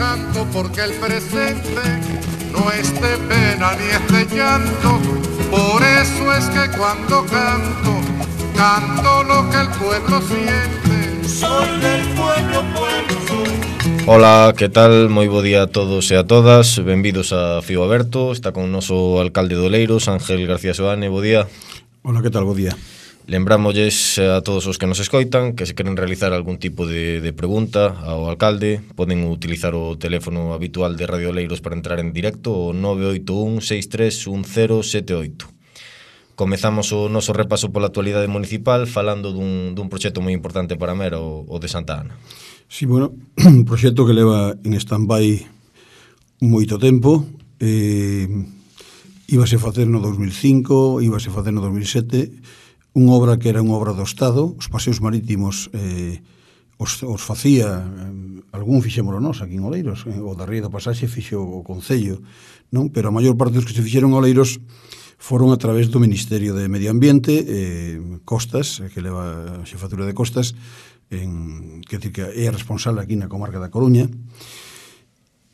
canto porque el presente no es de pena ni es de llanto. Por eso es que cuando canto, canto lo que el pueblo siente. Soy del pueblo, pueblo soy. Ola, que tal? Moi bo día a todos e a todas. Benvidos a Fío Aberto. Está con o noso alcalde de Oleiros, Ángel García Soane. Bo día. Ola, que tal? Bo día. Lembrámolles a todos os que nos escoitan que se queren realizar algún tipo de pregunta ao alcalde poden utilizar o teléfono habitual de Radio Oleiros para entrar en directo, o 981 631078. Comezamos o noso repaso pola actualidade municipal falando dun proxecto moi importante para Mera, o de Santa Ana. Sí, bueno, un proxecto que leva en stand-by moito tempo. Íbase facer no 2005, íbase facer no 2007, unha obra que era unha obra do Estado. Os paseos marítimos os facía, algún fixémolo nós aquí en Oleiros, o da Ría da Pasaxe fixo o Concello, non? Pero a maior parte dos que se fixeron en Oleiros foron a través do Ministerio de Medio Ambiente, Costas, que leva a xefatura de Costas, que é responsable aquí na comarca da Coruña.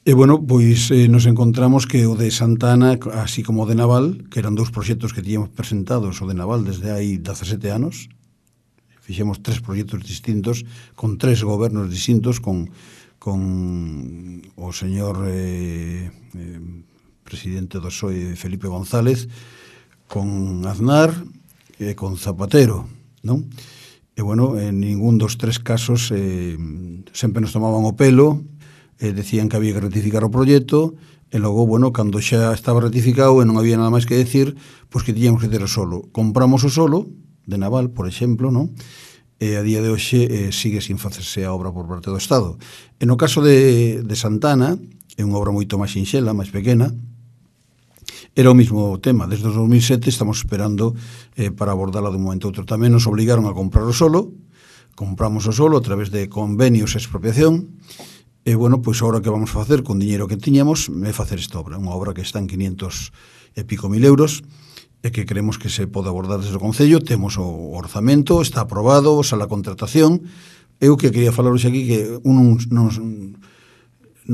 E, bueno, pois nos encontramos que o de Santa Ana, así como o de Naval, que eran dous proxectos que tiñamos presentados, o de Naval desde hai 17 anos, fixemos 3 proxectos distintos, con 3 gobernos distintos, con o señor presidente do PSOE, Felipe González, con Aznar e con Zapatero, non? E, bueno, en ningún dos 3 casos sempre nos tomaban o pelo, decían que había que ratificar o proxecto, e logo, bueno, cando xa estaba ratificado e non había nada máis que decir, pois que tiñamos que ter o solo. Compramos o solo de Naval, por exemplo, non? E a día de hoxe sigue sin facerse a obra por parte do Estado. E no caso de Santa Ana, é unha obra moito máis sinxela, máis pequena, era o mismo tema. Desde o 2007 estamos esperando para abordala dun momento a outro. Tamén nos obligaron a comprar o solo, compramos o solo a través de convenios e expropiación. E, bueno, pois agora que vamos a facer con diñeiro que tiñamos é facer esta obra, unha obra que está en 500 e pico mil euros e que creemos que se pode abordar desde o Concello. Temos o orzamento, está aprobado, xa a contratación. Eu que quería falar hoxe aquí que non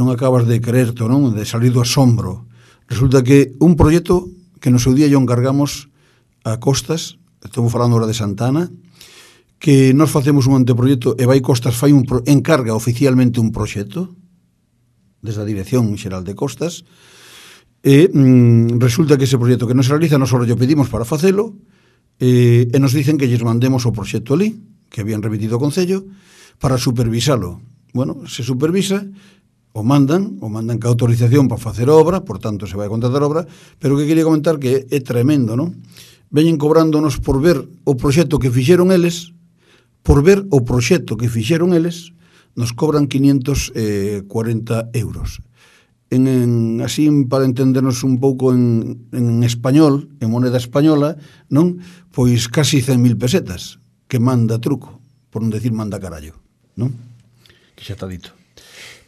acabas de creerte, non? De salir do asombro. Resulta que un proxecto que no seu día yo encargamos a Costas, estou falando agora de Santa Ana, que nos facemos un anteproxecto e vai Costas encarga oficialmente un proxecto desde a Dirección Xeral de Costas e resulta que ese proxecto que nos realiza nos lle pedimos para facelo e nos dicen que lles mandemos o proxecto ali que habían remitido ao Concello para supervisalo. Bueno, se supervisa o mandan ca autorización para facer obra, por tanto se vai a contratar obra, pero que quería comentar que é tremendo, non? Veñen cobrándonos por ver o proxecto que fixeron eles. Por ver o proxecto que fixeron eles, nos cobran 540 euros. Así, para entendernos un pouco en español, en moneda española, non? Pois casi 100.000 pesetas, que manda truco, por non decir manda carallo, non? Que xa está dito.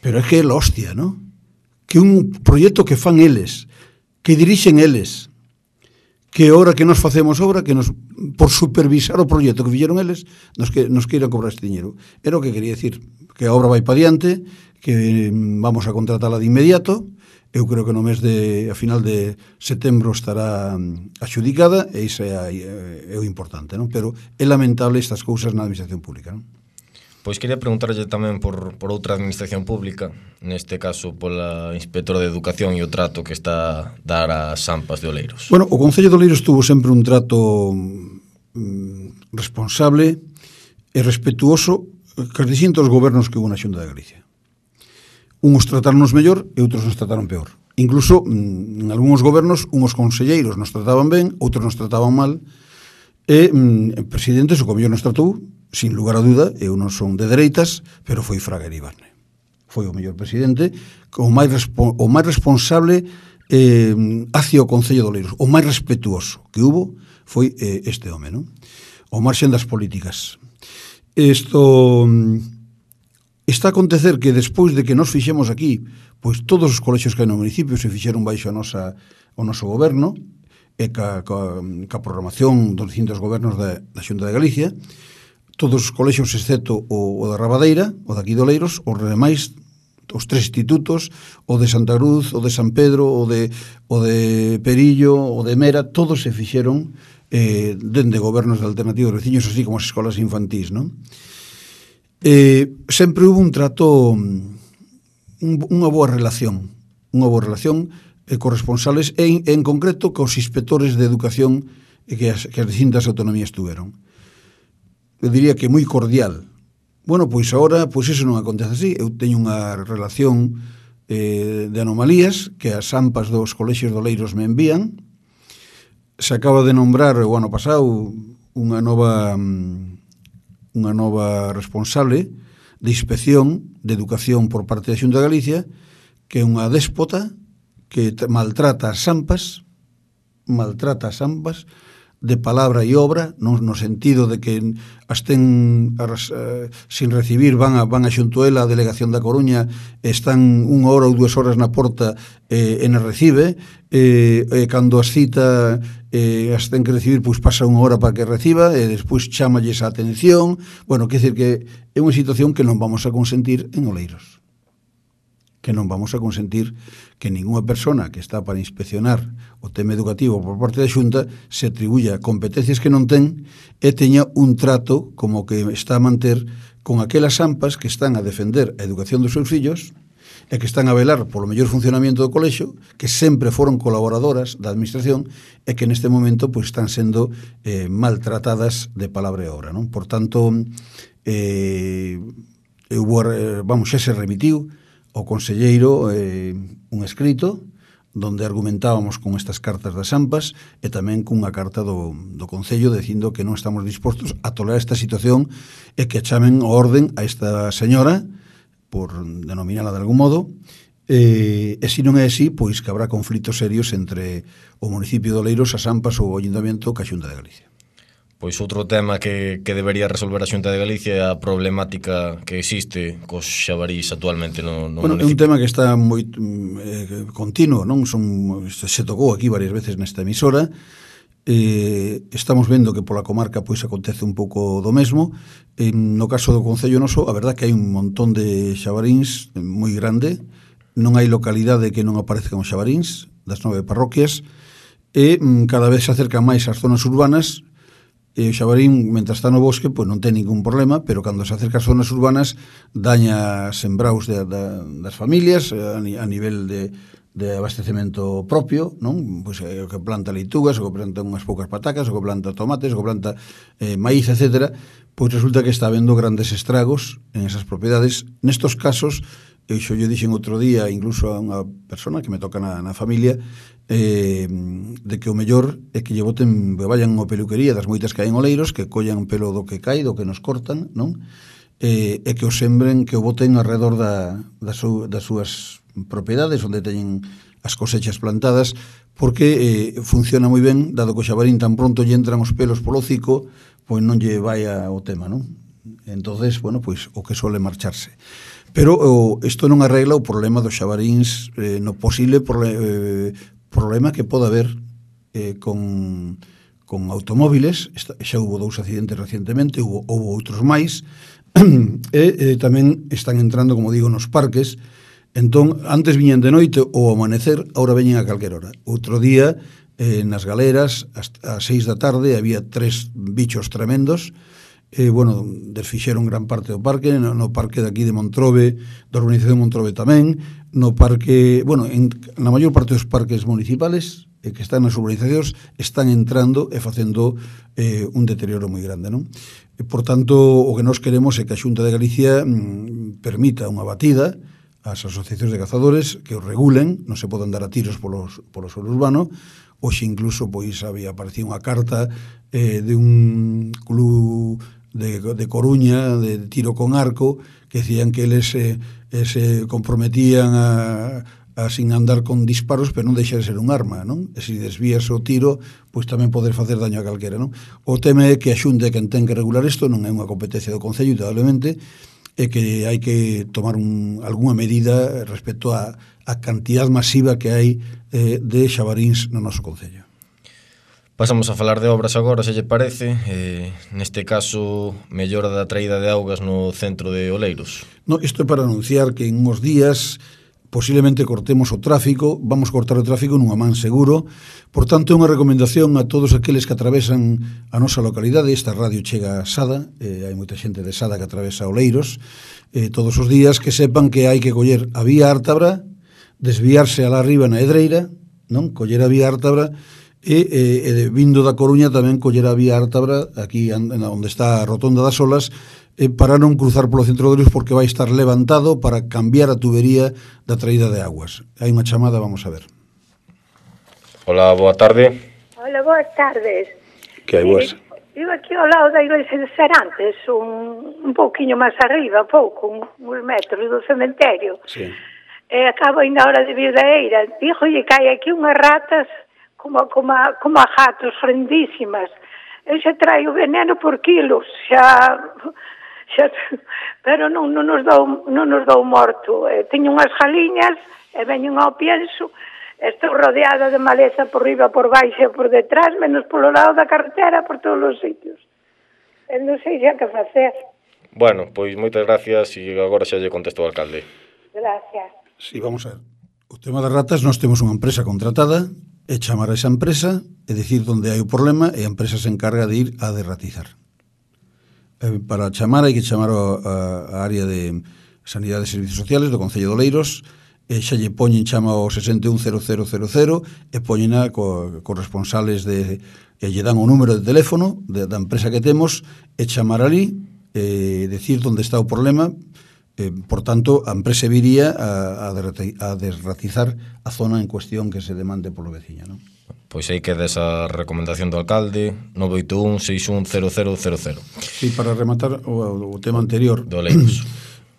Pero é que é la hostia, non? Que un proxecto que fan eles, que dirixen eles, que ahora que nos facemos obra, que nos, por supervisar o proxecto que fixeron eles, nos queira cobrar este diñeiro. Era o que quería decir, que a obra vai para diante, que vamos a contratala de inmediato. Eu creo que no mes a final de setembro estará axudicada, e iso é o importante, non? Pero é lamentable estas cousas na administración pública, non? Pois quería preguntarlle tamén por outra administración pública, neste caso pola inspectora de Educación e o trato que está a dar ás AMPAs de Oleiros. Bueno, o Concello de Oleiros tuvo sempre un trato responsable e respetuoso cos distintos gobernos que hubo na Xunta de Galicia. Uns trataronnos mellor e outros nos trataron peor. Incluso, en algúns gobernos, uns conselleiros nos trataban ben, outros nos trataban mal, e presidentes o que mellor nos tratou, sin lugar a duda, eu non son de dereitas, pero foi Fraga Iribarne. Foi o mellor presidente, o máis responsable hacia o Concello de Oleiros, o máis respetuoso que hubo foi este home, non? O marxen das políticas. Isto está a acontecer que despois de que nos fixemos aquí, pois todos os colexios que hai no municipio se fixeron baixo o noso goberno, e ca programación dos distintos gobernos da Xunta de Galicia, todos os colexios excepto o da Rabadeira, o daqui de Oleiros, os demais os 3 institutos, o de Santa Cruz, o de San Pedro, o de Perillo, o de Mera, todos se fixeron dende gobernos de alternativos veciños, así como as escolas infantís, non? Sempre hubo un trato, unha boa relación corresponsales en concreto cos inspectores de educación que as distintas autonomías tuveron. Eu diría que moi cordial. Bueno, pois agora, pois iso non acontece así. Eu teño unha relación de anomalías que as AMPAs dos colexios de Oleiros me envían. Se acaba de nombrar o ano pasado unha nova responsable de inspección de educación por parte da Xunta de Galicia, que é unha déspota que maltrata as AMPAs de palabra e obra, no sentido de que as ten sin recibir, van a xunto ela a delegación da Coruña, están 1 hora ou 2 horas na porta e non recibe, cando as cita as ten que recibir, pois pasa 1 hora para que reciba e despois chámalles a atención. Bueno, quer dizer que é unha situación que non vamos a consentir en Oleiros, que non vamos a consentir que ninguna persona que está para inspeccionar o tema educativo por parte da Xunta se atribuya competencias que non ten e teña un trato como que está a manter con aquelas AMPAs que están a defender a educación dos seus fillos e que están a velar polo mellor funcionamento do colexio, que sempre foron colaboradoras da administración e que neste momento pois están sendo maltratadas de palabra e obra, non? Por tanto, xa se remitiu o conselleiro un escrito donde argumentábamos con estas cartas das AMPAs e tamén cunha carta do Concello dicindo que non estamos dispostos a tolerar esta situación e que chamen o orden a esta señora, por denominala de algún modo, e se non é así, pois que habrá conflitos serios entre o municipio de Oleiros, as AMPAs ou o Ayuntamiento ca Xunta de Galicia. Pois outro tema que debería resolver a Xunta de Galicia é a problemática que existe cos xabarís actualmente no municipio. É un tema que está moi continuo, non? Se tocou aquí varias veces nesta emisora. Estamos vendo que pola comarca pois acontece un pouco do mesmo. No caso do Concello noso, a verdad que hai un montón de xabaríns moi grande. Non hai localidade que non aparezcan os xabaríns das 9 parroquias e cada vez se acercan máis ás zonas urbanas. E o xabarín, mentre está no bosque, pois non ten ningún problema, pero cando se acerca ás zonas urbanas daña sembraus das familias a nivel de abastecemento propio, non? Pois o que planta leitugas, o que planta unhas poucas patacas, o que planta tomates, o que planta maíz, etc. Pois resulta que está habendo grandes estragos en esas propiedades. Nestos casos, eu lle dixen outro día, incluso a unha persona que me toca na familia, de que o mellor é que lle boten, que vayan ao peluquería das moitas que hai en Oleiros, que collan pelo do que cai, do que nos cortan, non? E que o sembren, que o boten alrededor das súas propiedades onde teñen as cosechas plantadas, porque funciona moi ben, dado que o xabarín tan pronto lle entran os pelos polo hocico, pois non lle vai o tema, non? Entonces, bueno, pois o que suele marcharse. Pero isto non arregla o problema dos xabaríns no posible problema que pode haber con automóviles. Xa hubo 2 accidentes recientemente, houve outros máis, e tamén están entrando, como digo, nos parques. Entón, antes viñan de noite ou ao amanecer, agora veñen a calquer hora. Outro día, nas galeras, a 6 da tarde, había 3 bichos tremendos. Desfixeron gran parte do parque, no parque de aquí de Montrobe, da urbanización de Montrobe tamén, no parque, na maior parte dos parques municipales que están nas urbanizacións están entrando e facendo un deterioro moi grande, non? Por tanto, o que nós queremos é que a Xunta de Galicia permita unha batida ás asociacións de cazadores que os regulen, non se poden dar a tiros polo suelo urbano. Hoxe incluso pois había aparecido unha carta de un club de Coruña, de tiro con arco, que decían que eles se comprometían a sin andar con disparos, pero non deixar de ser un arma, non? E se desvías o tiro, pois tamén poder facer daño a calquera, non? O tema é que a Xunta quen ten que regular isto, non é unha competencia do Concello, indudablemente, é que hai que tomar algunha medida respecto a cantidad masiva que hai de xabaríns no noso Concello. Pasamos a falar de obras agora, se lle parece. Neste caso, mellora da traída de augas no centro de Oleiros. No, isto é para anunciar que en uns días posiblemente cortemos o tráfico, vamos cortar o tráfico nunha man seguro. Por tanto, é unha recomendación a todos aqueles que atravesan a nosa localidade. Esta radio chega a Sada, hai moita xente de Sada que atravesa Oleiros todos os días, que sepan que hai que coller a vía Ártabra, desviarse alá arriba na Edreira, non? Coller a vía Ártabra e vindo da Coruña tamén coller a vía Ártabra aquí onde está a Rotonda das Olas, para non cruzar polo centro de Oleiros, porque vai estar levantado para cambiar a tubería da traída de aguas. Hai unha chamada, vamos a ver. Hola, boa tarde. Hola, boas tardes. Que hai boas? Vivo aquí ao lado da igrexa de Serantes, un pouquiño máis arriba, uns metros do cementerio. Sí. Acabo ainda hora de vir da eira. Díjolle que hai aquí unhas ratas como a gatos, frendísimas. Eu xa traio veneno por kilos, xa pero non nos dou morto. Teño unhas jaliñas e veñen ao pienso. Estou rodeada de maleza por riba, por baixo e por detrás, menos polo lado da carretera, por todos os sitios. Non sei xa que facer. Bueno, pois moitas gracias e agora xa lle contesto ao alcalde. Gracias. Sí, vamos a ver. O tema das ratas, nós temos unha empresa contratada, é chamar a esa empresa e dicir onde hai o problema e a empresa se encarga de ir a derratizar. Para chamar hai que chamar a área de Sanidade e Servicios Sociales do Concello de Oleiros, e xa lle poñen, chama ao 610000 e poñen co responsables e lle dan o número de teléfono da empresa que temos e chamar ali e decir onde está o problema. Por tanto, a empresa viría a derratizar a zona en cuestión que se demande polo veciño, non? Pois aí queda esa recomendación do alcalde, 981-610000. Sí, para rematar o tema anterior do Oleiros.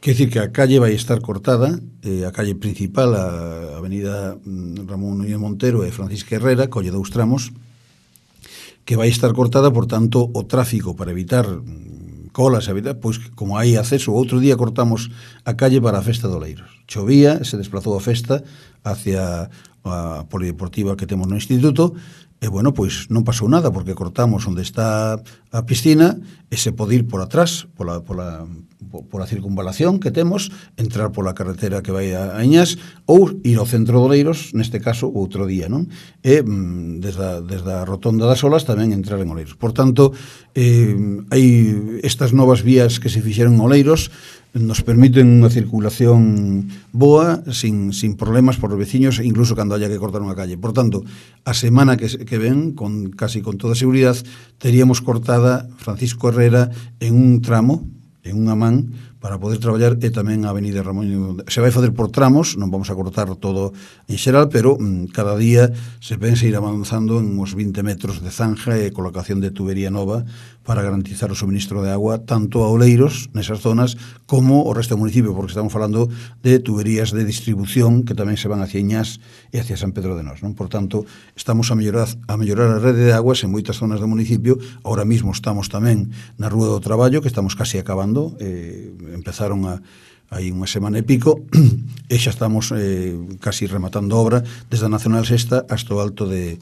Quer dicir que a calle vai estar cortada, a calle principal, a avenida Ramón Núñez Montero e Francisca Herrera, colle 2 tramos, que vai estar cortada, por tanto, o tráfico para evitar colas, pois como hai acceso, outro día cortamos a calle para a festa de Oleiros. Chovía, se desplazou a festa hacia a polideportiva que temos no instituto, e bueno, pois non pasou nada, porque cortamos onde está a piscina e se pode ir por atrás, pola circunvalación que temos, entrar pola carretera que vai a Iñas, ou ir ao centro de Oleiros, neste caso, outro día, non? E desde a Rotonda das Olas tamén entrar en Oleiros. Por tanto, hai estas novas vías que se fixeron en Oleiros, nos permiten unha circulación boa, sin problemas por os veciños, incluso cando haya que cortar unha calle. Por tanto, a semana que ven, casi con toda seguridad, teríamos cortada Francisco Herrera en un tramo, en unha man, para poder traballar, e tamén a avenida Ramón. Se vai fazer por tramos, non vamos a cortar todo en xeral, pero cada día se pensa ir avanzando en uns 20 metros de zanja e colocación de tubería nova para garantizar o suministro de agua tanto a Oleiros, nesas zonas, como o resto do municipio, porque estamos falando de tuberías de distribución que tamén se van hacia Iñás e hacia San Pedro de Nós, non? Por tanto, estamos a mellorar a rede de aguas en moitas zonas do municipio. Ahora mismo estamos tamén na Rúa do Traballo, que estamos casi acabando, empezaron hai unha semana e pico, e xa estamos casi rematando a obra desde a Nacional Sexta hasta o Alto de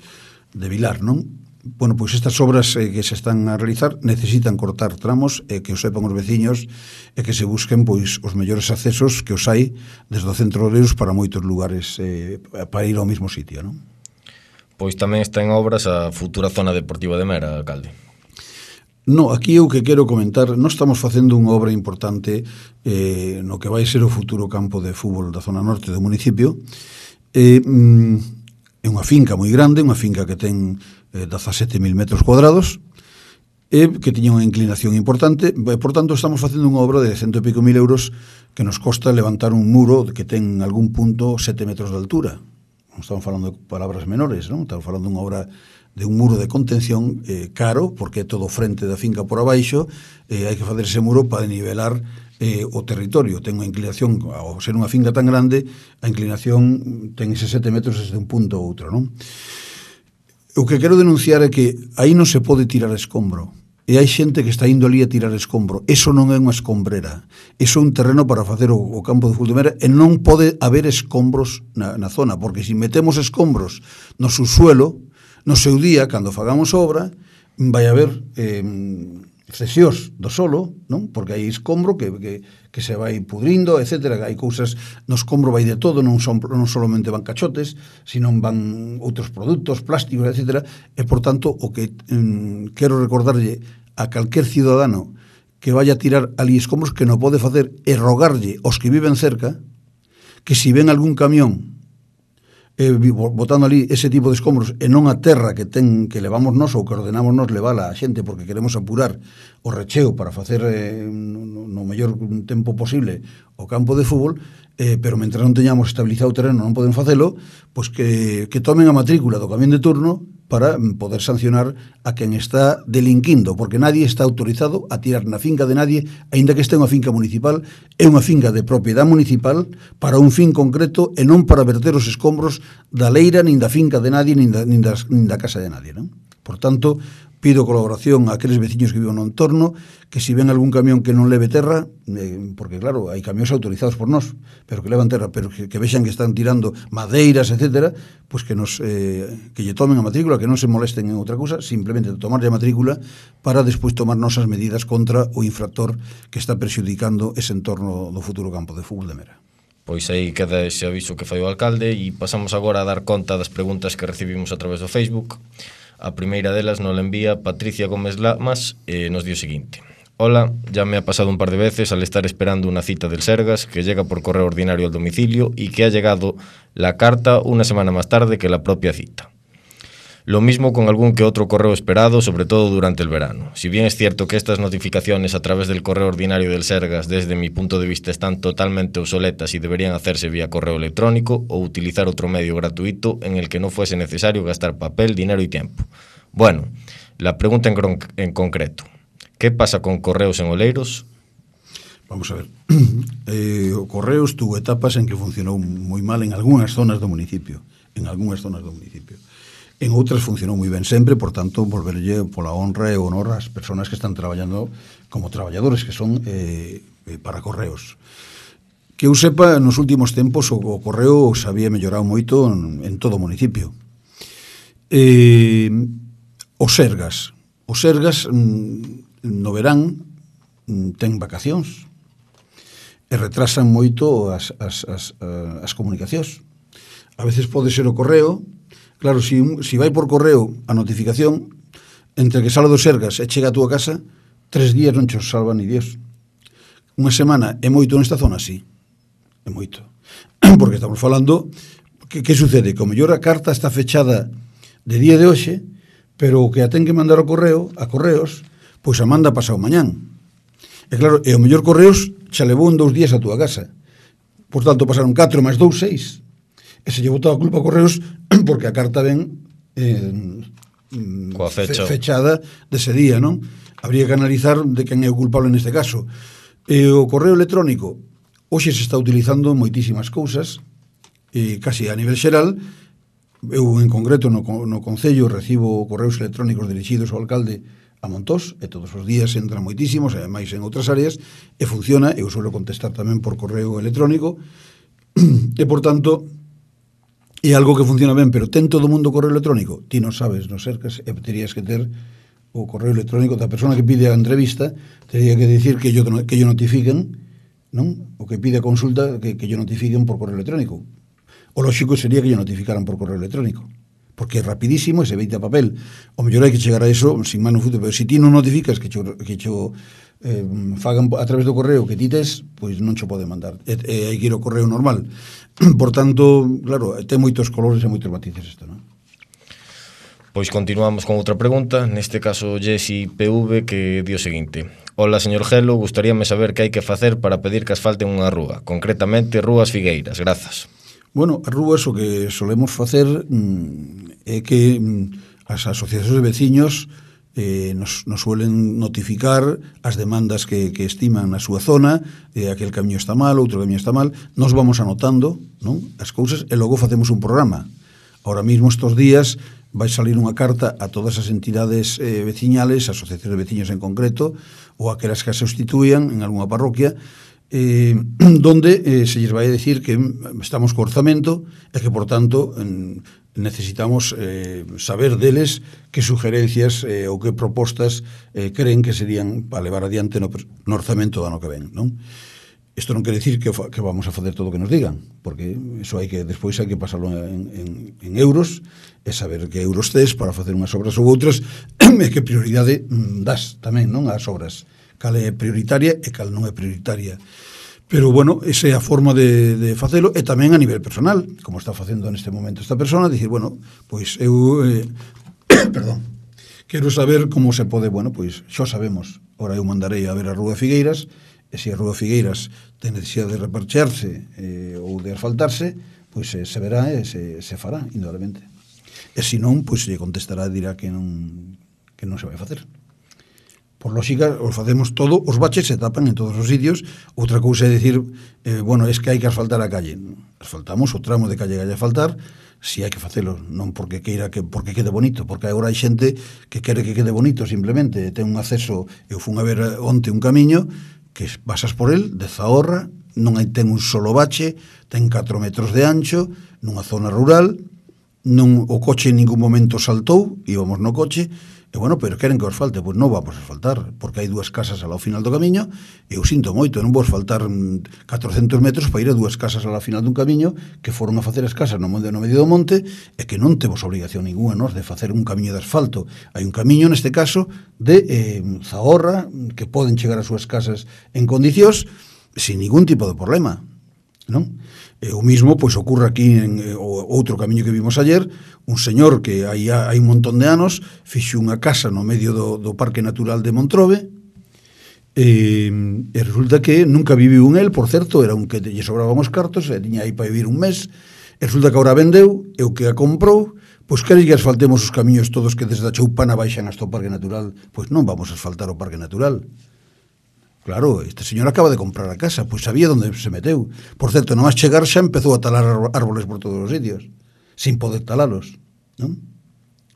Vilar, non? Bueno, pois estas obras que se están a realizar necesitan cortar tramos, e que o sepan os veciños, e que se busquen pois os mellores accesos que os hai desde o centro de Oleiros para moitos lugares para ir ao mesmo sitio, non? Pois tamén está en obras a futura zona deportiva de Mera, alcalde. No, aquí eu que quero comentar, nós estamos facendo unha obra importante no que vai ser o futuro campo de fútbol da zona norte do municipio. É unha finca moi grande, unha finca que ten 17.000 metros cuadrados, e que tiña unha inclinación importante. Por tanto, estamos facendo unha obra de 100 e pico mil euros que nos costa levantar un muro que ten en algún punto 7 metros de altura. Non estamos falando de palabras menores, non? Estamos falando dunha obra de un muro de contención caro, porque é todo frente da finca por abaixo, hai que facer ese muro para nivelar o territorio. Ten unha inclinación, ao ser unha finca tan grande, a inclinación ten ese 7 metros desde un punto a outro, non? O que quero denunciar é que aí non se pode tirar escombro, e hai xente que está indo ali a tirar escombro. Eso non é unha escombrera, eso é un terreno para facer o campo de fútbol de Mera, e non pode haber escombros na zona, porque se metemos escombros no subsuelo, No seu día, cando fagamos obra, vai haber cesións do solo, non? Porque hai escombro que se vai pudrindo, etc. Hai cousas, no escombro vai de todo, non solamente van cachotes, sino van outros produtos, plásticos, etc. E, por tanto, o que quero recordarlle a calquer cidadano que vaya a tirar ali escombros, que non pode facer é rogarlle aos que viven cerca que si ven algún camión botando ali ese tipo de escombros e non a terra que levamos nós ou que ordenamos nós levala a xente porque queremos apurar o recheo para facer no mellor tempo posible o campo de fútbol, pero mentre non teñamos estabilizado o terreno non poden facelo, pois que tomen a matrícula do camión de turno para poder sancionar a quen está delinquindo, porque nadie está autorizado a tirar na finca de nadie, aínda que este unha finca municipal, é unha finca de propiedade municipal para un fin concreto e non para verter os escombros da leira, nin da finca de nadie, nin da casa de nadie, non? Por tanto, pido colaboración a aqueles veciños que viven no entorno, que si ven algún camión que non leve terra, porque claro, hai camións autorizados por nós, pero que levan terra, pero que vexan que están tirando madeiras, etc., pois que lle tomen a matrícula, que non se molesten en outra cousa, simplemente tomarlle a matrícula para despois tomar nosas medidas contra o infractor que está perxudicando ese entorno do futuro campo de fútbol de Mera. Pois aí queda ese aviso que fai o alcalde e pasamos agora a dar conta das preguntas que recibimos a través do Facebook. A primeira delas nos la envía Patricia Gómez Lamas e nos dio o seguinte: hola, ya me ha pasado un par de veces al estar esperando una cita del Sergas que llega por correo ordinario al domicilio y que ha llegado la carta una semana más tarde que la propia cita. Lo mismo con algún que otro correo esperado, sobre todo durante el verano. Si bien es cierto que estas notificaciones a través del correo ordinario del Sergas, desde mi punto de vista, están totalmente obsoletas y deberían hacerse vía correo electrónico o utilizar otro medio gratuito en el que no fuese necesario gastar papel, dinero y tiempo. Bueno, la pregunta en concreto: ¿qué pasa con correos en Oleiros? Vamos a ver. O correos tuvo etapas en que funcionou moi mal en algunhas zonas do municipio. En outras funcionou moi ben sempre, por tanto, volverlle pola honra e honor ás persoas que están traballando como traballadores, que son para correos. Que eu sepa, nos últimos tempos o correo se había mellorado moito en todo o municipio. Os Sergas no verán ten vacacións e retrasan moito as comunicacións. A veces pode ser o correo. Claro, si vai por correo a notificación, entre que sale do Sergas e chega a túa casa, 3 días non che salva ni Dios. Unha semana é moito nesta zona, sí. É moito. Porque estamos falando, que sucede? Que o mellor a carta está fechada de día de hoxe, pero o que a ten que mandar ao correo, a correos, pois a manda pasado mañán. E claro, e o mellor correos xa levou en 2 días a túa casa. Por tanto, pasaron 4 máis 2, 6. E se lle botou a culpa a correos porque a carta ven fechada dese día, non? Habría que analizar de quen é o culpable neste caso. O correo electrónico hoxe se está utilizando moitísimas cousas, casi a nivel xeral. Eu en concreto no Concello recibo correos electrónicos dirixidos ao alcalde a Montós, e todos os días entran moitísimos, e máis en outras áreas, e funciona. Eu suelo contestar tamén por correo electrónico, e por tanto é algo que funciona ben. Pero ten todo o mundo correo electrónico? Ti non sabes, non cercas, e terías que ter o correo electrónico da persona que pide a entrevista, tería que dicir que yo notifiquen, non? O que pide a consulta, que yo notifiquen por correo electrónico. O lógico sería que yo notificaran por correo electrónico, porque é rapidísimo e se veite a papel. O mellor hai que chegar a eso sin mano futuro, pero se ti non notificas que cho fagan a través do correo que ti tes, pois non cho pode mandar, e hai que ir ao correo normal. Por tanto, claro, ten moitos colores e moitos matices isto, non? Pois continuamos con outra pregunta, neste caso Jessy PV, que di o seguinte: hola, señor Gelo, gustaríame saber que hai que facer para pedir que asfalten unha rúa, concretamente Rúas Figueiras, grazas. Bueno, as rúas o que solemos facer é que as asociacións de veciños nos suelen notificar as demandas que estiman na súa zona, aquel camiño está mal, outro camiño está mal. Nos vamos anotando, non, as cousas e logo facemos un programa. Ahora mismo estos días vai salir unha carta a todas as entidades veciñales, asociacións de veciños en concreto, ou aquelas que se sustituían en algunha parroquia, donde se lles vai a decir que estamos co orzamento e que, por tanto, necesitamos saber deles que sugerencias ou que propostas creen que serían para levar adiante no orzamento do ano que ven, non? Isto non quere decir que vamos a facer todo o que nos digan, porque iso despois hai que pasarlo en euros e saber que euros tes para facer unhas obras ou outras e que prioridade das tamén, non, ás obras, cal é prioritaria e cal non é prioritaria. Pero, bueno, esa é a forma de facelo, e tamén a nivel personal, como está facendo neste momento esta persona, dicir, bueno, pois eu perdón, quero saber como se pode, bueno, pois xa sabemos, ora eu mandarei a ver a Rúa Figueiras, e se a Rúa Figueiras ten necesidade de reparchearse ou de asfaltarse, pois se verá e se fará, indudablemente. E se non, pois se contestará e dirá que non se vai facer. Por lógica, os facemos todo, os baches se tapan en todos os sitios. Outra cousa é dicir, bueno, es que hai que asfaltar a calle. Asfaltamos o tramo de calle que hai que asfaltar, si hai que facelo, non porque porque quede bonito, porque agora hai xente que quere que quede bonito simplemente, ten un acceso, eu fun a ver onte un camiño, que pasas por el, de Zahorra, ten un solo bache, ten 4 metros de ancho, nunha zona rural, o coche en ningún momento saltou, íbamos no coche, e bueno, pero queren que os falte, pois non vamos a asfaltar, porque hai 2 casas ao final do camiño, e eu sinto moito, non vou asfaltar 400 metros para ir a 2 casas ao final dun camiño que foron a facer as casas no medio do monte, e que non temos obrigación ninguna, nos, de facer un camiño de asfalto. Hai un camiño, neste caso, de Zahorra, que poden chegar ás súas casas en condicións, sin ningún tipo de problema, non? O mismo, pois, ocurre aquí en outro camiño que vimos ayer, un señor que hai un montón de anos fixo unha casa no medio do Parque Natural de Montrobe, e resulta que nunca viviu en él, por certo, era un que lle sobraban os cartos, e tiña aí para vivir un mes, e resulta que agora vendeu, e o que a comprou, pois quere que asfaltemos os camiños todos que desde a Choupana baixan hasta o Parque Natural. Pois non vamos a asfaltar o Parque Natural. Claro, este señor acaba de comprar a casa, pois sabía onde se meteu. Por certo, non a chegar xa empezou a talar árboles por todos os sitios, sin poder talalos, non?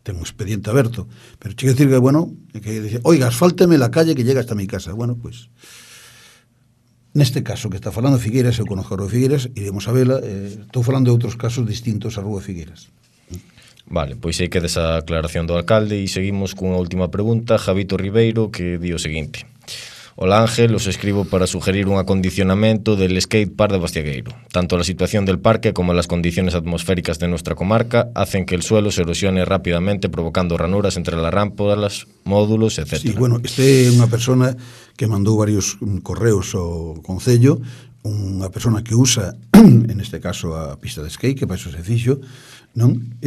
Ten un expediente aberto. Pero chega a decir que, bueno, que dice, oiga, asfálteme la calle que llega hasta mi casa. Bueno, pois, neste caso que está falando Figueiras, eu conozco a Rúa Figueiras, iremos a vela, estou falando de outros casos distintos a Rúa Figueiras. Vale, pois aí queda esa aclaración do alcalde e seguimos cunha última pregunta. Javito Ribeiro, que di o seguinte: Hola Ángel, os escribo para sugerir un acondicionamiento del skate park de Bastiagueiro. Tanto la situación del parque como las condiciones atmosféricas de nuestra comarca hacen que el suelo se erosione rápidamente, provocando ranuras entre las rampas, módulos, etc. Sí, bueno, este é unha persona que mandou varios correos ao Concello, unha persona que usa, en este caso, a pista de skate, que para iso se fixo, non?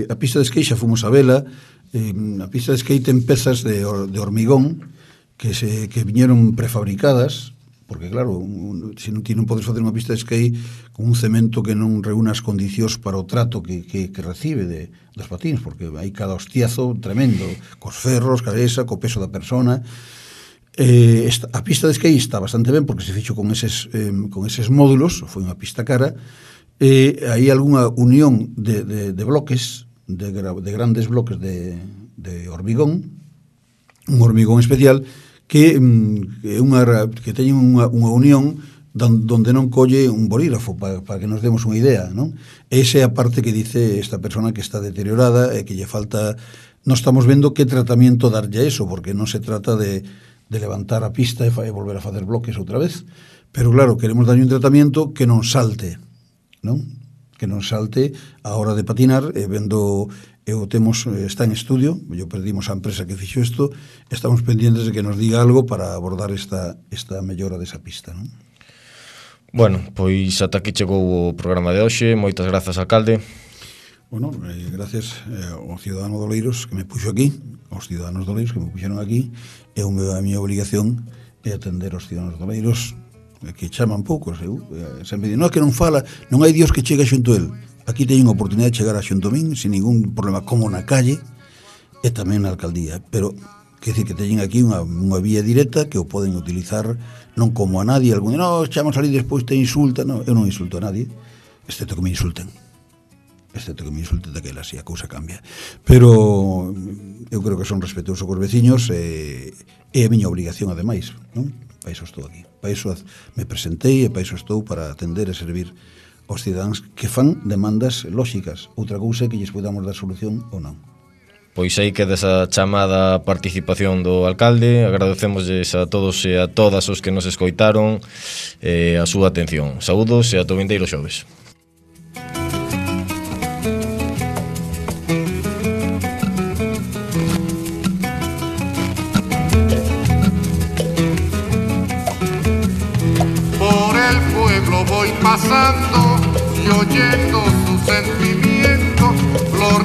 A pista de skate xa fomos a vela, a pista de skate ten pezas de hormigón, que viñeron prefabricadas, porque claro, se non ti non podes facer unha pista de skate con un cemento que non reúna as condicións para o trato que recibe dos patins, porque hai cada hostiazo tremendo, cos ferros, cabeza, co peso da persona. A pista de skate está bastante ben porque se fixo con eses módulos, foi unha pista cara, e hai algunha unión de bloques, de grandes bloques de hormigón, un hormigón especial que teñen unha unión donde non colle un bolígrafo, para que nos demos unha idea, non? Esa é a parte que dice esta persona que está deteriorada e que lle falta. Non estamos vendo que tratamento darlle a eso, porque non se trata de levantar a pista e volver a facer bloques outra vez, pero claro, queremos darlle un tratamento que non salte, non? Que non salte a hora de patinar, vendo. Está en estudio, yo perdimos a empresa que fixo isto, estamos pendientes de que nos diga algo para abordar esta mellora desa pista, non? Bueno, pois ata aquí chegou o programa de hoxe. Moitas grazas, alcalde. Bueno, gracias ao cidadano de Oleiros que me puxo aquí, aos ciudadanos de Oleiros que me puxeron aquí, e a miña obligación é atender aos ciudadanos de Oleiros que chaman poucos, sempre dicen, non, que non fala, non hai Dios que chega xunto a él. Aquí teñen a oportunidade de chegar a xunto a min sin ningún problema, como na calle e tamén na alcaldía, pero quer dizer que teñen aquí unha vía directa que o poden utilizar non como a nadie, algún non, chamos ali despois te insulta, non, eu non insulto a nadie, excepto que me insulten daquela, así a cousa cambia, pero eu creo que son respetuoso cos veciños e é a miña obligación ademais, non? Para iso estou aquí. Para iso me presentei e para iso estou, para atender e servir aos cidadáns que fan demandas lóxicas. Outra cousa é que lles podamos dar solución ou non. Pois aí queda esa chamada participación do alcalde. Agradecemosles a todos e a todas os que nos escoitaron a súa atención. Saúdos e ata o vindeiro xoves. Voy pasando y oyendo sus sentimientos, los